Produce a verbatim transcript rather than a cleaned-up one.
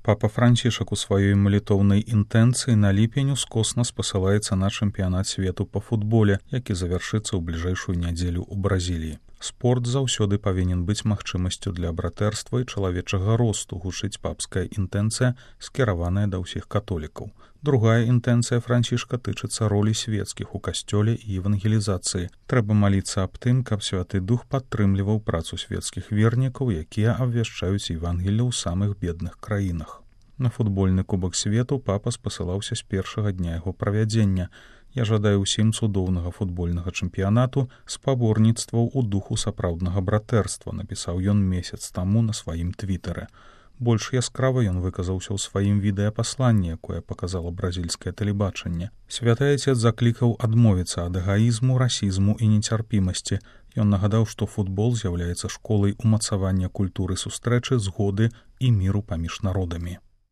Папа Францішак у сваёй малітоўнай інтэнцыі на ліпень ускосна спасылаецца на чэмпіянат свету па футболе, які завяршыцца ў бліжэйшую нядзелю ў Бразіліі. Спорт заўсёды павінен быць магчымасцю для братэрства і чалавечага росту, гучыць папская інтэнцыя, скіраваная да ўсіх католікаў. Другая інтэнцыя Францішка тычыцца ролі свецкіх у касцёле і евангелізацыі. Трэба маліцца аб тым, каб Святы Дух падтрымліваў працу свецкіх вернікаў, якія абвяшчаюць Евангелле ў самых бедных краінах. На футбольны кубак свету папа спасылаўся з першага дня яго правядзення. Я жадаю ўсім цудоўнага футбольнага чэмпіянату, спаборніцтваў у духу сапраўднага братэрства, напісаў ён месяц таму на сваім твітары. Больш яскрава ён выказаўся ў сваім відэапасланні, якое паказала бразільскае тэлебачанне. Святы Айцец заклікаў адмовіцца ад эгаізму, расізму і нецярпімасці. Ён нагадаў, што футбол з'яўляецца школай умацавання культуры сустрэчы, згоды і міру паміж народамі.